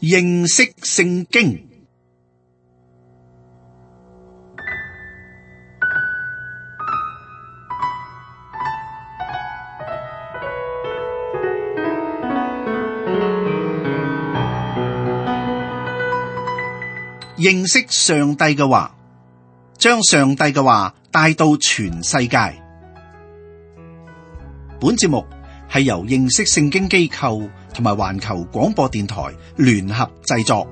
認識聖經。認識上帝嘅話，將上帝嘅話帶到全世界。本節目係由認識聖經機構同埋環球廣播電台聯合製作。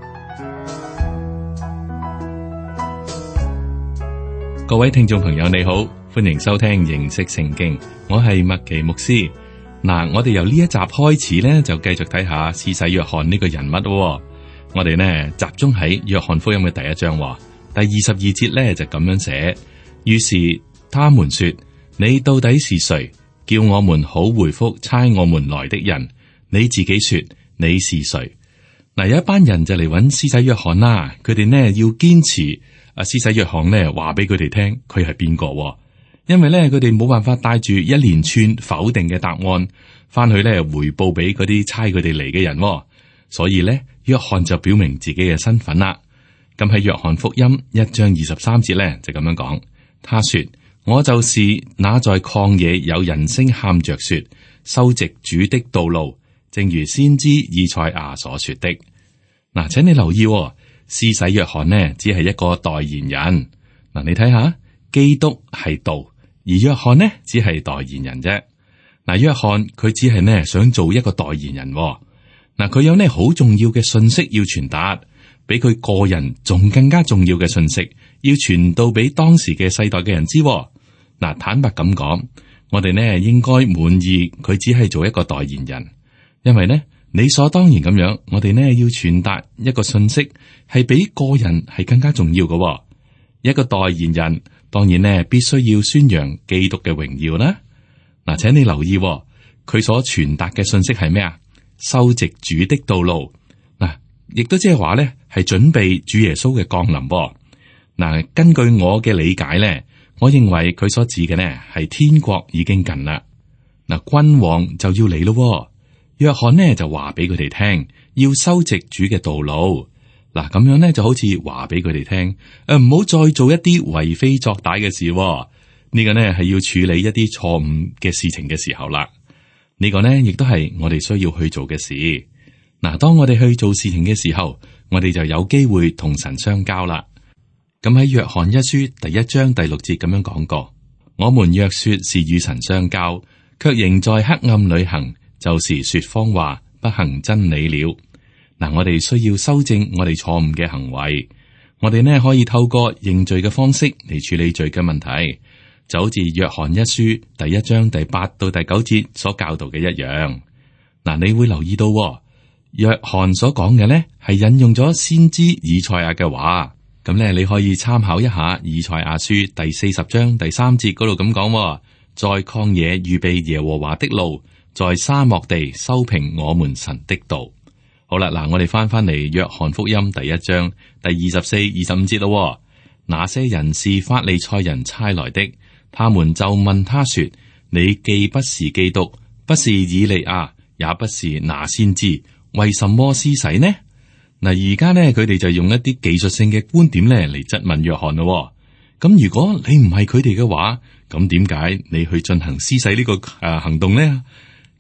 各位聽眾朋友你好，歡迎收聽認識聖經，我係麥奇牧師。嗱，我哋由呢一集開始呢，就繼續睇下施洗約翰呢個人物咯。我哋呢集中喺約翰福音嘅第一章，第22節呢就咁樣寫。於是他們說：你到底是誰？叫我們好回復差我們來的人。你自己說你是誰？嗱，有一班人就嚟揾施洗約翰啦。佢哋呢要堅持施洗約翰呢話俾佢哋聽佢係邊個，因為呢佢哋冇辦法帶住一連串否定嘅答案翻去呢回報俾嗰啲差佢哋嚟嘅人，所以呢約翰就表明自己嘅身份啦。咁喺約翰福音1章23節呢就咁樣講，他說：我就是那在曠野有人聲喊着說，修直主的道路，正如先知以賽亞所說的。嗱，請你留意，施洗約翰呢只係一個代言人。嗱，你睇下，基督係道，而約翰呢只係代言人啫。嗱，約翰佢只係呢想做一個代言人。嗱，佢有呢好重要嘅信息要傳達，比佢個人仲更加重要嘅信息要傳到俾當時嘅世代嘅人知。嗱，坦白咁講，我哋呢應該滿意佢只係做一個代言人，因為呢理所當然咁樣，我哋呢要傳達一個信息係比個人係更加重要嘅。一個代言人當然呢必須要宣揚基督嘅榮耀啦。嗱，請你留意，佢所傳達嘅信息係咩啊？修直主的道路，嗱，亦都即係話咧，係準備主耶穌嘅降臨。嗱，根據我嘅理解咧，我認為佢所指嘅呢係天國已經近啦。嗱，君王就要嚟咯。約翰呢就話俾佢哋聽，要修直主嘅道路。嗱，咁樣呢就好似話俾佢哋聽，唔好再做一啲為非作歹嘅事。呢個呢係要處理一啲錯誤嘅事情嘅時候啦。呢個呢亦都係我哋需要去做嘅事。嗱，當我哋去做事情嘅時候，我哋就有機會同神相交啦。咁喺約翰一書第1章第6節咁樣講過：我們若說是與神相交，卻仍在黑暗裏行，就是說謊話，不行真理了。嗱，我哋需要修正我哋錯誤嘅行為。我哋呢可以透過認罪嘅方式嚟處理罪嘅問題。就好似約翰一書第1章第8到第9節所教導嘅一樣。嗱，你會留意到，約翰所講嘅呢係引用咗先知以賽亞嘅話。咁咧，你可以參考一下以賽亞書第40章第3節嗰度咁講：在曠野預備耶和華的路，在沙漠地修平我們神的道。好啦，嗱，我哋翻嚟約翰福音第1章第24、25節咯。那些人是法利賽人差來的。他們就問他說：你既不是基督，不是以利亞，也不是那先知，為什麼施洗呢？嗱，而家呢，佢哋就用一啲技術性嘅觀點咧嚟質問約翰咯。咁如果你唔係佢哋嘅話，咁點解你去進行施洗呢個行動呢？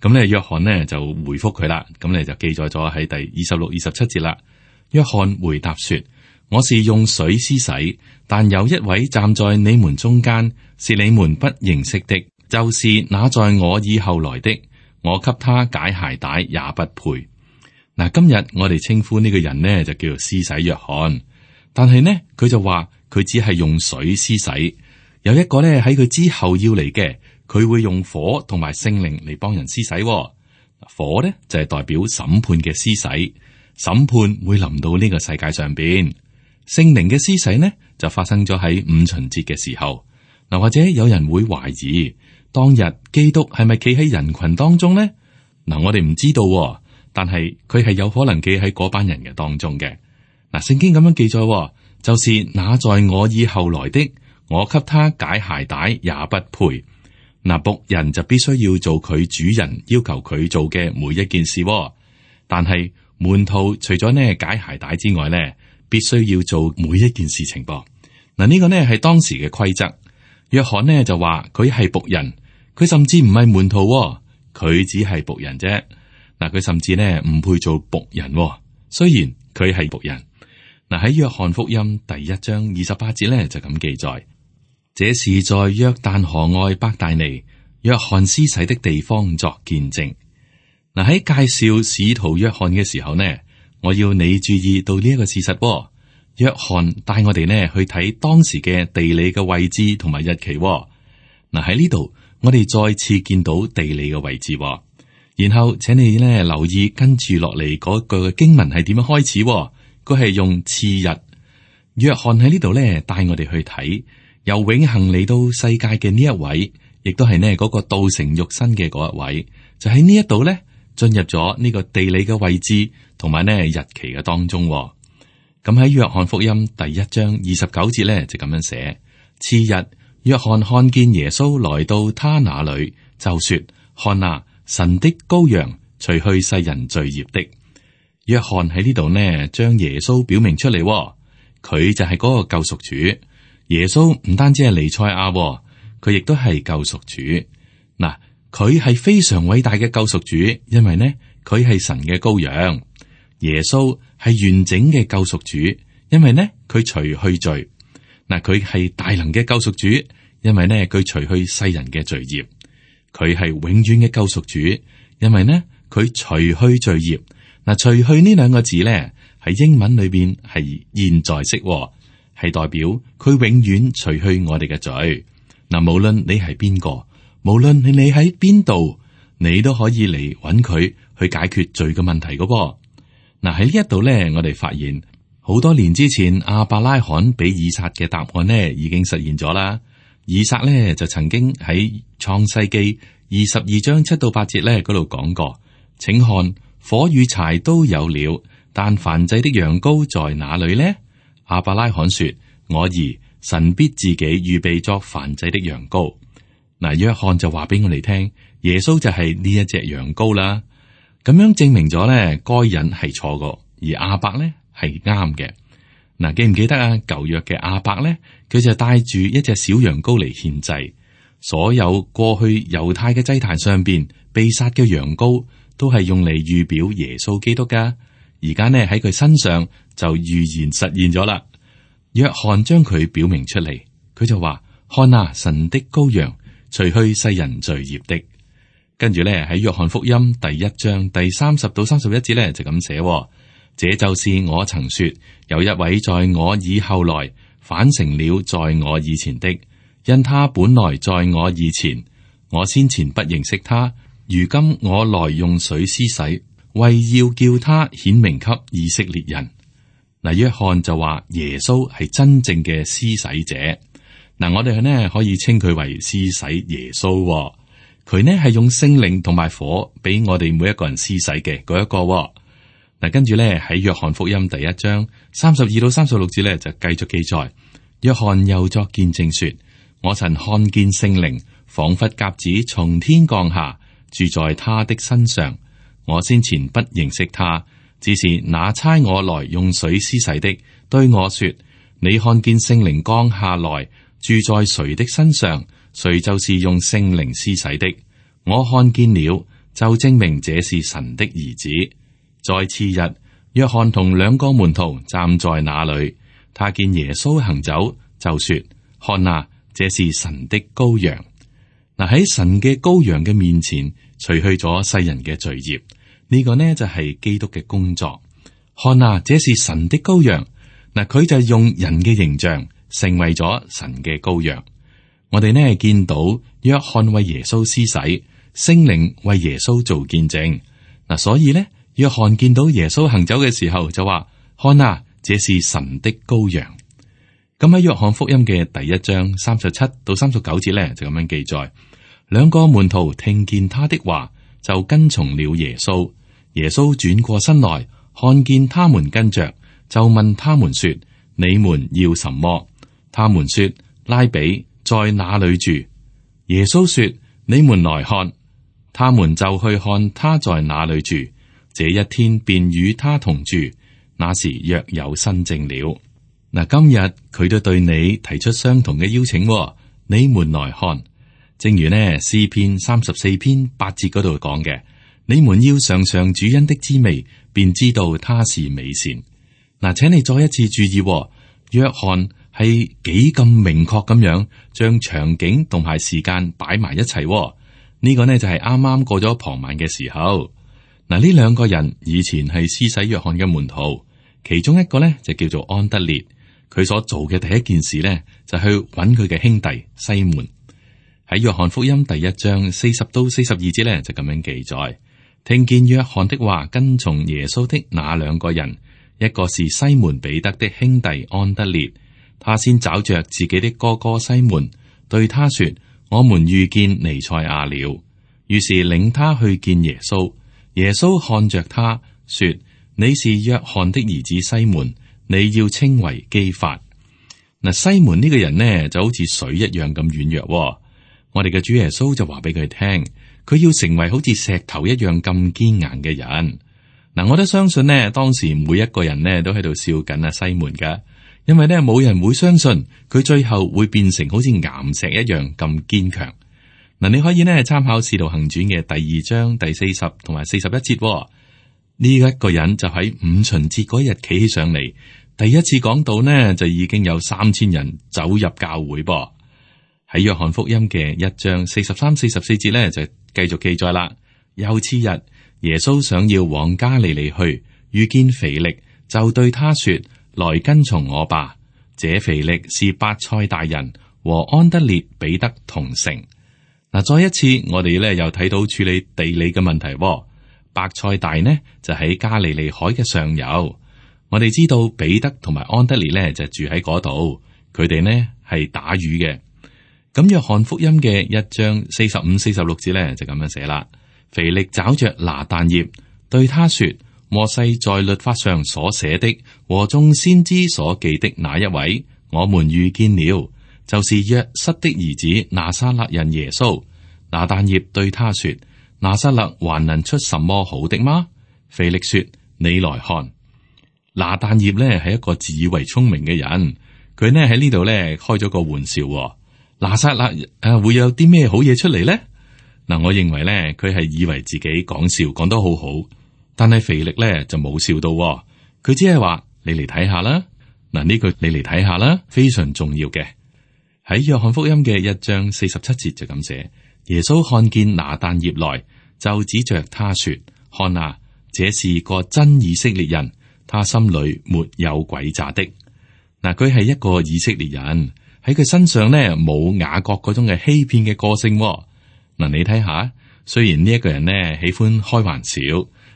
咁咧，約翰呢就回覆佢啦。咁咧就記載咗喺第26、27節啦。約翰回答說：我是用水施洗，但有一位站在你們中間，是你們不認識的，就是那在我以後來的，我給他解鞋帶也不配。嗱，今日我哋稱呼呢個人呢就叫做施洗約翰，但係呢佢就話佢只係用水施洗，有一個呢喺佢之後要嚟嘅，佢會用火同埋聖靈嚟幫人施洗。火呢就係代表審判嘅施洗，審判會臨到呢個世界上邊。聖靈嘅施洗呢就發生咗喺五旬節嘅時候。嗱，或者有人會懷疑當日基督係咪企喺人群當中呢？嗱，我哋唔知道，但係佢係有可能企喺嗰班人嘅當中嘅。嗱，聖經咁樣記載，就是那在我以後來的，我給他解鞋帶也不配。嗱，僕人就必須要做佢主人要求佢做嘅每一件事，但係門徒除咗呢解鞋帶之外呢，必須要做每一件事情噃。嗱，呢個呢係當時嘅規則。約翰呢就話佢係僕人，佢甚至唔係門徒，佢只係僕人啫。嗱，佢甚至呢唔配做僕人，雖然佢係僕人。嗱，喺約翰福音第1章28節呢就咁記載，這是在約旦河外伯大尼約翰施洗的地方作見證。嗱，喺介紹使徒約翰嘅時候呢，我要你注意到呢一個事實。約翰帶我哋呢去睇當時嘅地理嘅位置同埋日期。嗱，喺呢度我哋再次見到地理嘅位置。然後請你呢留意跟住落嚟嗰句經文係點樣開始。佢係用次日。約翰喺呢度呢帶我哋去睇由永恆嚟到世界嘅呢一位，亦都係呢嗰個道成肉身嘅嗰一位，就喺呢一度呢進入咗呢個地理嘅位置同埋呢日期嘅當中。咁喺約翰福音第1章29節咧就咁樣寫：次日，約翰看見耶穌來到他那裏，就說：看啊，神的羔羊，除去世人罪孽的。約翰喺呢度呢，將耶穌表明出嚟，佢就係嗰個救贖主。耶穌唔單止係彌賽亞，佢亦都係救贖主。嗱，佢係非常偉大嘅救贖主，因為呢，佢係神嘅羔羊。耶穌係完整嘅救贖主，因為呢佢除去罪。嗱，佢係大能嘅救贖主，因為呢佢除去世人嘅罪孽。佢係永遠嘅救贖主，因為呢佢除去罪孽。嗱，除去呢兩個字呢喺英文裏邊係現在式，係代表佢永遠除去我哋嘅罪。嗱，無論你係邊個，無論你喺邊度，你都可以嚟揾佢去解決罪嘅問題噶噃。嗱，喺呢一度咧，我哋發現好多年之前亞伯拉罕俾以撒嘅答案呢已經實現咗啦。以撒呢就曾經喺創世記22章7到8節咧嗰度講過，請看，火與柴都有了，但燔祭的羊羔在哪裏呢？亞伯拉罕說：我兒，神必自己預備作燔祭的羊羔。嗱，約翰就話俾我哋聽，耶穌就係呢一隻羊羔啦。咁樣證明咗咧，該隱係錯嘅，而亞伯咧係啱嘅。嗱，記唔記得啊？舊約嘅亞伯咧，佢就帶住一隻小羊羔嚟獻祭。所有過去猶太嘅祭壇上邊被殺嘅羊羔，都係用嚟預表耶穌基督噶。而家呢喺佢身上就預言實現咗啦。約翰將佢表明出嚟，佢就話：看啊，神的羔羊，除去世人罪孽的。跟住咧喺約翰福音第1章第30到31節咧就咁寫：這就是我曾說，有一位在我以後來，反成了在我以前的，因他本來在我以前，我先前不認識他，如今我來用水施洗，為要叫他顯明給以色列人。嗱，約翰就話耶穌係真正嘅施洗者。嗱，我哋呢可以稱佢為施洗耶穌。佢呢係用聖靈同埋火俾我哋每一個人施洗嘅嗰一個。嗱，跟住咧喺約翰福音第1章32到36節咧就繼續記載，約翰又作見證說：我曾看見聖靈仿佛鴿子從天降下，住在他的身上。我先前不認識他，只是那差我來用水施洗的對我說：你看見聖靈降下來，住在誰的身上，誰就是用聖靈施洗的。我看見了，就證明這是神的兒子。在次日，約翰同2個門徒站在那裏，他見耶穌行走，就說：看啊，這是神的羔羊。嗱，喺神嘅羔羊嘅面前，除去咗世人嘅罪孽，呢個呢就係基督嘅工作。看啊，這是神的羔羊。嗱，佢就用人嘅形象成為咗神嘅羔羊。我哋呢見到約翰為耶穌施洗，聖靈為耶穌做見證。嗱，所以呢，約翰見到耶穌行走嘅時候就話：看啊，這是神的羔羊。咁喺約翰福音嘅第1章37到39節咧就咁樣記載：2個門徒聽見他的話，就跟從了耶穌。耶穌轉過身來，看見他們跟着，就問他們說：你們要什麼？他們說：拉比，在哪裏住？耶穌說：你們來看。他們就去看他在哪裏住，這一天便與他同住。那時約有新證了。嗱，今日佢都對你提出相同嘅邀請，你們來看。正如呢詩篇34篇8節嗰度講嘅，你們要嘗嘗主恩的滋味，便知道他是美善。嗱，請你再一次注意，約翰係幾咁明確咁樣將場景同埋時間擺埋一齊。呢個呢就係啱啱過咗傍晚嘅時候。嗱，呢兩個人以前係施洗約翰嘅門徒，其中一個呢就叫做安德烈。佢所做嘅第一件事呢，就去揾佢嘅兄弟西門。喺約翰福音第1章40到42節呢，就咁樣記載：聽見約翰的話，跟從耶穌的那兩個人，一個是西門彼得的兄弟安德烈，他先找着自己的哥哥西門，對他說：我們遇見彌賽亞了。於是領他去見耶穌。耶穌看着他說：你是約翰的兒子西門，你要稱為基法。嗱，西門呢個人呢就好似水一樣咁軟弱。我哋嘅主耶穌就話俾佢聽，佢要成為好似石頭一樣咁堅硬嘅人。嗱，我都相信呢，當時每一個人呢都喺度笑緊西門噶，因為呢冇人會相信佢最後會變成好似岩石一樣咁堅強。嗱，你可以呢參考《使徒行傳》嘅第2章第40同埋41節。呢一個人就喺五旬節嗰日企起上嚟，第一次講道呢，就已經有3000人走入教會噃。喺約翰福音嘅1章43、44節呢，就繼續記載啦。又次日，耶穌想要往加利利去，遇見腓力，就對他說：來跟從我吧。這腓力是伯賽大人，和安德烈、彼得同城。嗱，再一次我哋咧又睇到處理地理嘅問題。伯賽大呢就喺加利利海嘅上游。我哋知道彼得同埋安德烈呢就住喺嗰度，佢哋呢係打魚嘅。咁約翰福音嘅1章45、46節呢就咁樣寫啦。腓力找着拿但業，對他說：摩西在律法上所寫的和眾先知所記的那一位，我們遇見了。就是約瑟的兒子拿撒勒人耶穌。拿但業對他說：拿撒勒還能出什麼好的嗎？腓力說：你來看。拿但業呢係一個自以為聰明嘅人，佢呢喺呢度呢開咗個玩笑。拿撒勒會有啲咩好嘢出嚟呢？嗱，我認為呢佢係以為自己講笑講得好好，但係腓力呢就冇笑到，佢只係話：你嚟睇下啦。嗱，呢句你嚟睇下啦，非常重要嘅。喺約翰福音嘅1章47節就咁寫：耶穌看見拿但業來，就指着他說：看啊，這是個真以色列人，他心裏沒有詭詐的。嗱，佢係一個以色列人，喺佢身上呢冇雅各嗰種嘅欺騙嘅個性。嗱，你睇下，雖然呢一個人呢喜歡開玩笑，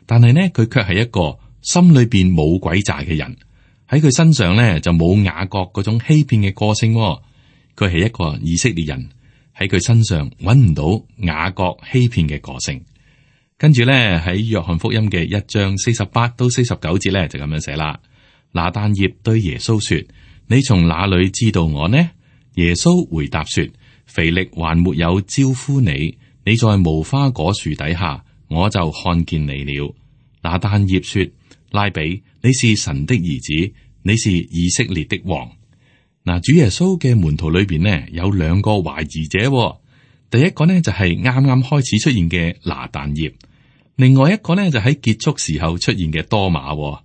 但係呢佢卻係一個心裏邊冇詭詐嘅人。喺佢身上呢就冇雅各嗰種欺騙嘅個性。佢係一個以色列人，喺佢身上揾唔到雅各欺騙嘅個性。跟住咧喺約翰福音嘅1章48到49節咧就咁樣寫啦。拿但業對耶穌說：你從哪裏知道我呢？耶穌回答說：腓力還沒有招呼你，你在無花果樹底下，我就看見你了。拿但業說：拉比，你是神的兒子，你是以色列的王。嗱，主耶穌嘅門徒裏邊呢有2個懷疑者。第一個呢就係啱啱開始出現嘅拿但業，另外一個呢就喺結束時候出現嘅多馬。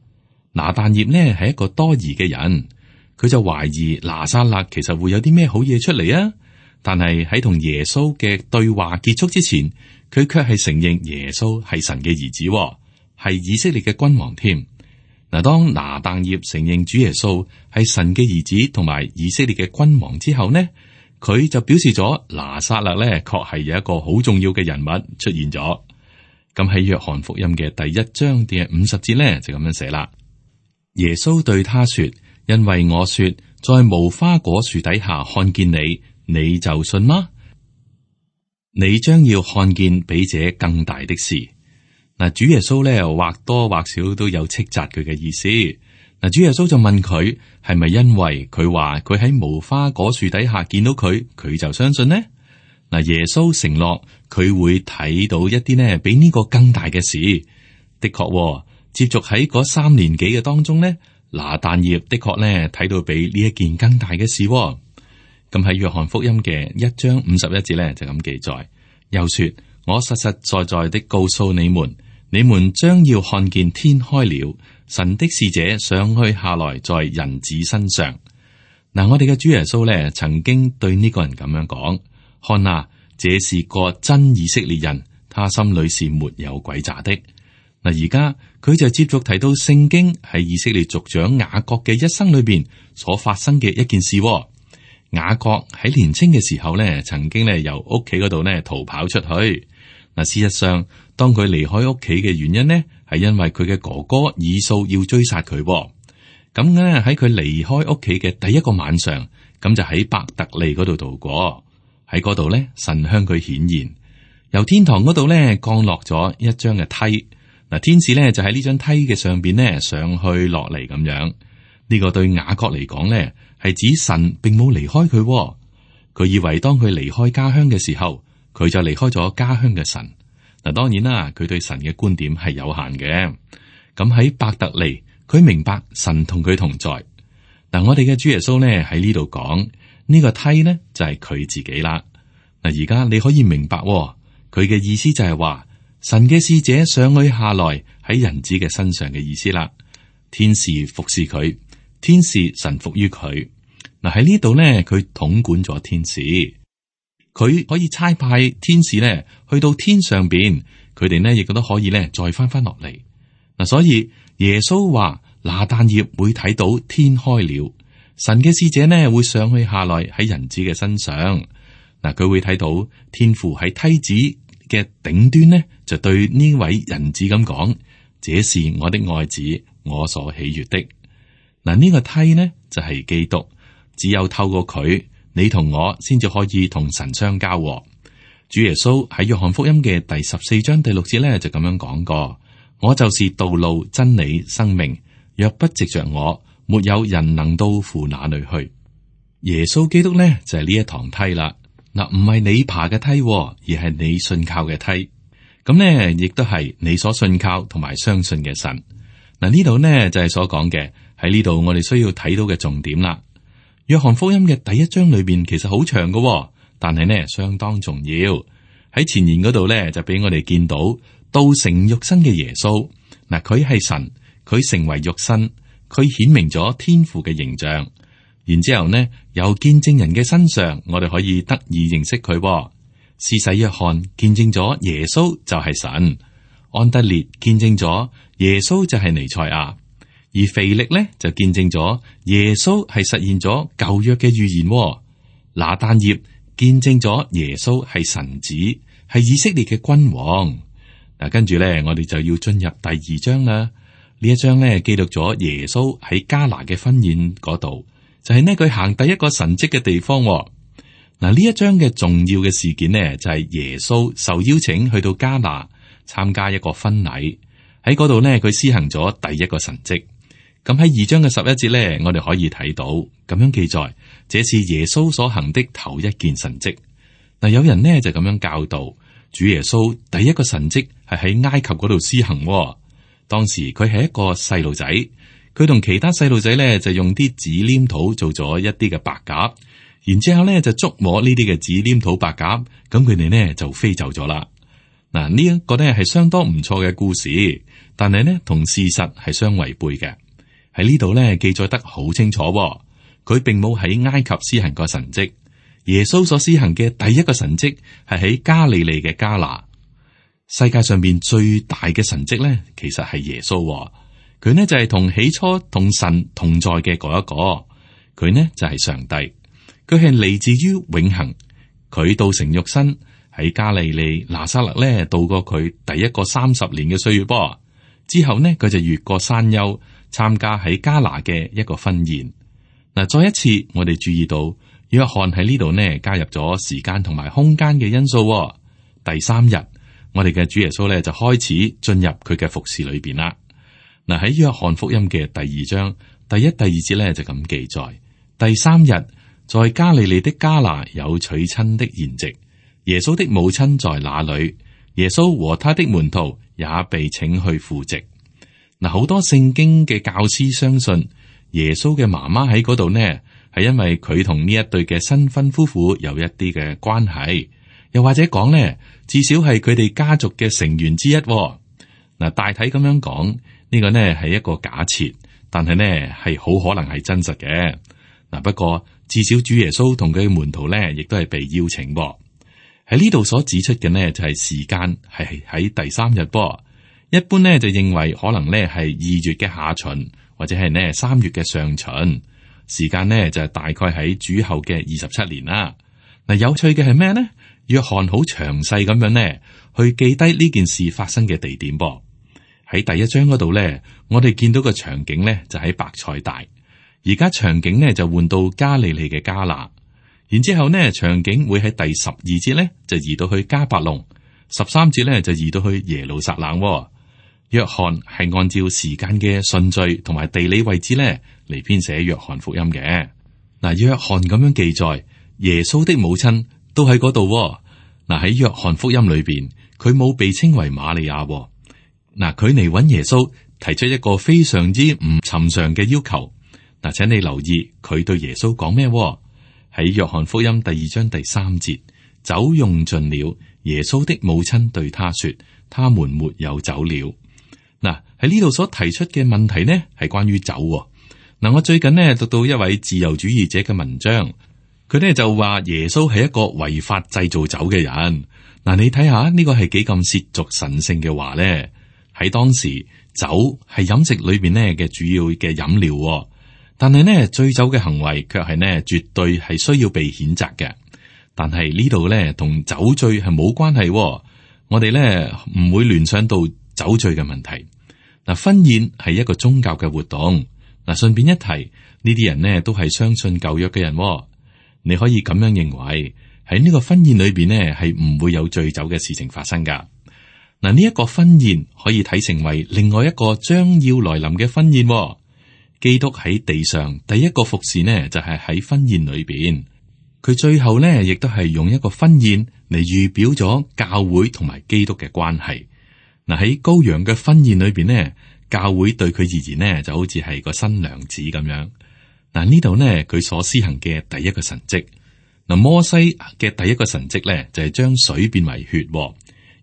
拿但業呢係一個多疑嘅人，佢就懷疑拿撒勒其實會有啲咩好嘢出嚟啊！但係喺同耶穌嘅對話結束之前，佢卻係承認耶穌係神嘅兒子，係以色列嘅君王添。嗱，當拿但業承認主耶穌係神嘅兒子同埋以色列嘅君王之後呢，佢就表示咗拿撒勒咧確係有一個好重要嘅人物出現咗。咁喺約翰福音嘅第1章第50節咧就咁樣寫啦。耶穌對他說：因為我說在無花果樹底下看見你，你就信嗎？你將要看見比這更大的事。嗱，主耶穌咧或多或少都有斥責佢嘅意思。嗱，主耶穌就問佢係咪因為佢話佢喺無花果樹底下見到佢，佢就相信呢？嗱，耶穌承諾佢會睇到一啲呢比呢個更大嘅事。的確，接續喺嗰3年幾嘅當中呢，拿但業的確呢睇到比呢一件更大嘅事。咁喺約翰福音嘅1章51節呢，就咁記載，又說：我實實在在的告訴你們，你們將要看見天開了，神的使者上去下來在人子身上。嗱，我哋嘅主耶穌呢，曾經對呢個人咁樣講：看啊，這是個真以色列人，他心裏是沒有詭詐的。嗱，而家佢就接續提到聖經喺以色列族長雅各嘅一生裏邊所發生嘅一件事。雅各喺年青嘅時候呢，曾經呢由屋企嗰度呢逃跑出去。嗱，事實上，當佢離開屋企嘅原因呢，係因為佢嘅哥哥以掃要追殺佢。咁咧喺佢離開屋企嘅第一個晚上，咁就喺伯特利嗰度度過。喺嗰度呢，神向佢顯現，由天堂嗰度呢降落咗一張嘅梯。嗱，天使呢就喺呢張梯嘅上邊呢上去落嚟咁樣。呢個對雅各嚟講呢，係指神並冇離開佢。佢以為當佢離開家鄉嘅時候，佢就離開咗家鄉嘅神。嗱，當然啦，佢對神嘅觀點係有限嘅。咁喺伯特利，佢明白神同佢同在。嗱，我哋嘅主耶穌呢喺呢度講呢個梯呢就係佢自己啦。嗱，而家你可以明白佢嘅意思就係話神嘅使者上去下來喺人子嘅身上嘅意思啦。天使服侍佢，天使臣服於佢。嗱，喺呢度呢，佢統管咗天使，佢可以差派天使呢去到天上邊，佢哋呢亦都可以呢再翻落嚟。嗱，所以耶穌話拿但業會睇到天開了，神嘅使者呢會上去下來喺人子嘅身上。嗱，佢會睇到天父喺梯子嘅頂端呢，就對呢位人子咁講：這是我的愛子，我所喜悅的。嗱，呢個梯呢就係基督，只有透過佢，你同我先至可以同神相交。主耶穌喺約翰福音嘅第14章第6節呢，就咁樣講過：我就是道路、真理、生命，若不藉着我，沒有人能到父那裏去。耶穌基督呢就係呢一堂梯啦。嗱，唔係你爬嘅梯，而係你信靠嘅梯。咁呢亦都係你所信靠同埋相信嘅神。嗱，呢度呢就係所講嘅，喺呢度我哋需要睇到嘅重點啦。約翰福音嘅第1章裏邊其實好長嘅，但係呢相當重要。喺前言嗰度呢，就俾我哋見到道成肉身嘅耶穌。嗱，佢係神，佢成為肉身，佢顯明咗天父嘅形象。然之後呢，由見證人嘅身上，我哋可以得以認識佢。施洗約翰見證咗耶穌就係神，安德烈見證咗耶穌就係彌賽亞，而腓力呢就見證咗耶穌係實現咗舊約嘅預言。拿但業見證咗耶穌係神子，係以色列嘅君王。嗱，跟住呢，我哋就要進入第2章啦。呢一章呢，記錄咗耶穌喺迦拿嘅婚宴嗰度。就係呢，佢行第一個神蹟嘅地方。嗱，呢一章嘅重要嘅事件呢，就係耶穌受邀請去到迦拿參加一個婚禮，喺嗰度呢，佢施行咗第一個神蹟。咁喺2章嘅11節呢，我哋可以睇到咁樣記載，這是耶穌所行的頭一件神蹟。嗱，有人呢就咁樣教導，主耶穌第一個神蹟係喺埃及嗰度施行。當時佢係一個細路仔。佢同其他細路仔咧就用啲紙黏土做咗一啲嘅白鴿，然之後咧就觸摸呢啲嘅紙黏土白鴿，咁佢哋呢就飛走咗啦。嗱，呢一個呢係相當唔錯嘅故事，但係呢同事實係相違背嘅。喺呢度呢記載得好清楚，佢並冇喺埃及施行過神蹟。耶穌所施行嘅第一個神蹟係喺加利利嘅迦拿。世界上邊最大嘅神蹟呢，其實係耶穌。佢呢就係同起初同神同在嘅嗰一個，佢呢就係上帝，佢係嚟自於永恆，佢道成肉身喺加利利拿撒勒呢度過佢第一個30年嘅歲月噃，之後呢佢就越過山丘參加喺迦拿嘅一個婚宴。嗱，再一次我哋注意到約翰喺呢度呢加入咗時間同埋空間嘅因素。第3日，我哋嘅主耶穌呢就開始進入佢嘅服侍裏邊啦。嗱，喺約翰福音嘅第2章第1、第2節咧就咁記載：第3日，在加利利的迦拿有娶親的筵席，耶穌的母親在那裏，耶穌和他的門徒也被請去赴席。嗱，好多聖經嘅教師相信耶穌嘅媽媽喺嗰度呢，係因為佢同呢一對嘅新婚夫婦有一啲嘅關係，又或者講呢，至少係佢哋家族嘅成員之一。嗱，大體咁樣講，呢個呢係一個假設，但係呢係好可能係真實嘅。嗱，不過至少主耶穌同佢嘅門徒呢，亦都係被邀請噃。喺呢度所指出嘅呢，就係時間係喺第3日噃。一般呢就認為可能呢係2月嘅下旬，或者係呢3月嘅上旬。時間呢就係大概喺主後嘅27年啦。嗱，有趣嘅係咩呢？約翰好詳細咁樣呢去記低呢件事發生嘅地點噃。喺第1章嗰度呢，我哋見到個場景呢就喺伯賽大，而家場景呢就換到加利利嘅迦拿，然之後呢場景會喺第12節呢就移到去迦百農，13節呢就移到去耶路撒冷。約翰係按照時間嘅順序同埋地理位置呢嚟編寫約翰福音嘅。嗱，約翰咁樣記載耶穌的母親都喺嗰度。嗱，喺約翰福音裏邊，佢冇被稱為瑪利亞。嗱，佢嚟揾耶穌，提出一個非常之唔尋常嘅要求。嗱，請你留意佢對耶穌講咩？喺約翰福音第2章第3節，酒用盡了，耶穌的母親對他說：他們沒有酒了。嗱，喺呢度所提出嘅問題呢，係關於酒。嗱，我最近呢讀到一位自由主義者嘅文章，佢呢就話耶穌係一個違法製造酒嘅人。嗱，你睇下呢個係幾咁褻瀆神聖嘅話呢？喺當時，酒係飲食裏邊呢嘅主要嘅飲料，但係呢醉酒嘅行為卻係呢絕對係需要被譴責嘅。但係呢度呢同酒醉係冇關係，我哋呢唔會聯想到酒醉嘅問題。嗱，婚宴係一個宗教嘅活動。嗱，順便一提，呢啲人呢都係相信舊約嘅人。你可以咁樣認為，喺呢個婚宴裏邊呢係唔會有醉酒嘅事情發生噶。嗱，呢一個婚宴可以睇成為另外一個將要來臨嘅婚宴。基督喺地上第一個服侍呢，就係喺婚宴裏邊。佢最後呢，亦都係用一個婚宴嚟預表咗教會同埋基督嘅關係。嗱，喺羔羊嘅婚宴裏邊呢，教會對佢而言呢，就好似係個新娘子咁樣。嗱，呢度呢，佢所施行嘅第一個神蹟，嗱，摩西嘅第一個神蹟呢，就係將水變為血，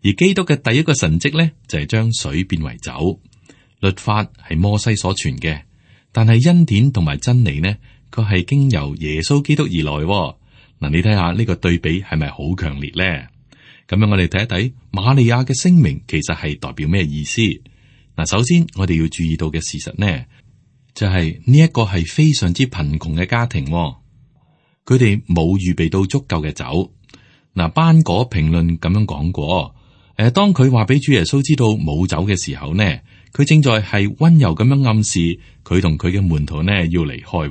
而基督嘅第一個神蹟呢，就係將水變為酒。律法係摩西所傳嘅，但係恩典同埋真理呢，佢係經由耶穌基督而來。嗱，你睇下呢個對比係咪好強烈呢？咁樣我哋睇一睇瑪利亞嘅聲明，其實係代表咩意思？嗱，首先我哋要注意到嘅事實呢，就係呢一個係非常之貧窮嘅家庭，佢哋冇預備到足夠嘅酒。嗱，班果評論咁樣講過，當佢話俾主耶穌知道冇酒嘅時候呢，佢正在係溫柔咁樣暗示佢同佢嘅門徒呢要離開。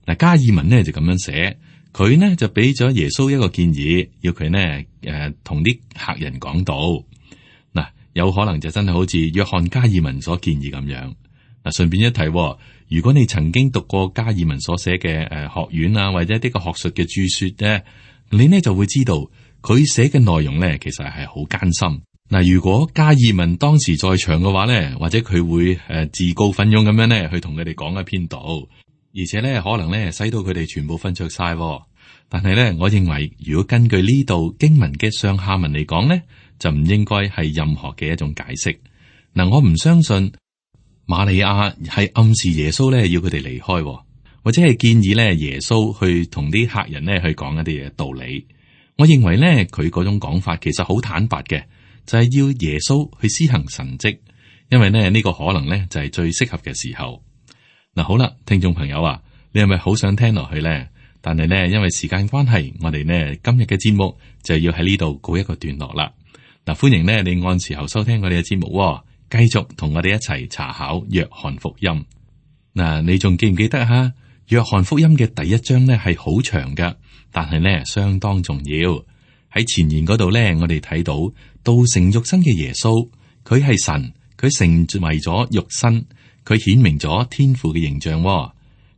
嗱，加爾文呢就咁樣寫。佢呢就俾咗耶穌一個建議，要佢呢同啲客人講道。嗱，有可能就真係好似約翰加爾文所建議咁樣。嗱，順便一提，如果你曾經讀過加爾文所寫嘅學院啊，或者呢個學術嘅著說咧，你呢就會知道佢寫嘅內容咧，其實係好艱辛。嗱，如果加爾文當時在場嘅話咧，或者佢會自告奮勇咁樣咧去同佢哋講一篇道。而且咧，可能咧，使到佢哋全部瞓着晒。但係咧，我認為如果根據呢度經文嘅上下文嚟講咧，就唔應該係任何嘅一種解釋。嗱，我唔相信瑪利亞係暗示耶穌咧要佢哋離開，或者係建議咧耶穌去同啲客人咧去講一啲嘅道理。我認為咧，佢嗰種講法其實好坦白嘅，就係要耶穌去施行神蹟，因為咧呢個可能咧就係最適合嘅時候。嗱，好啦，聽眾朋友啊，你係咪好想聽落去咧？但係咧，因為時間關係，我哋呢今日嘅節目就要喺呢度告一個段落啦。嗱，歡迎呢你按時候收聽我哋嘅節目，繼續同我哋一齊查考約翰福音。嗱，你仲記唔記得吓？約翰福音嘅第1章呢係好長噶，但係呢相當重要。喺前言嗰度呢，我哋睇到道成肉身嘅耶穌，佢係神，佢成為咗肉身。佢顯明咗天父嘅形象，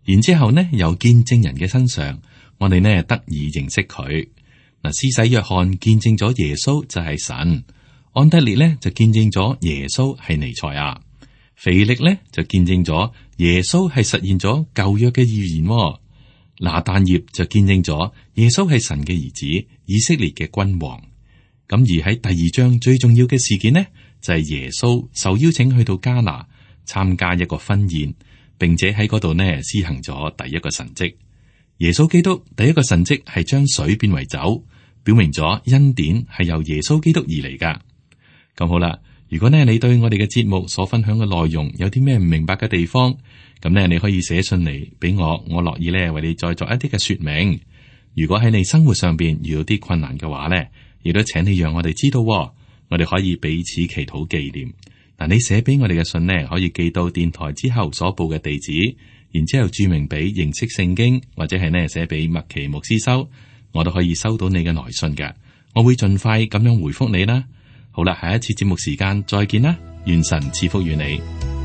然之後呢，由見證人嘅身上，我哋呢得以認識佢。嗱，施洗約翰見證咗耶穌就係神，安德烈呢就見證咗耶穌係彌賽亞，腓力呢就見證咗耶穌係實現咗舊約嘅預言，拿但業就見證咗耶穌係神嘅兒子，以色列嘅君王。咁而喺第二章最重要嘅事件呢，就係耶穌受邀請去到迦拿參加一個婚宴，並且喺嗰度呢施行咗第一個神蹟。耶穌基督第一個神蹟係將水變為酒，表明咗恩典係由耶穌基督而嚟噶。咁好啦，如果呢你對我哋嘅節目所分享嘅內容有啲咩唔明白嘅地方，咁呢你可以寫信嚟俾我，我樂意呢為你再作一啲嘅說明。如果喺你生活上邊遇到啲困難嘅話呢，亦都請你讓我哋知道，我哋可以彼此祈禱紀念。嗱，你寫俾我哋嘅信呢，可以寄到電台之後所報嘅地址，然之後注明俾認識聖經，或者係呢寫俾麥奇牧師收，我都可以收到你嘅來信嘅。我會盡快咁樣回覆你啦。好啦，下一次節目時間再見啦，願神賜福於你。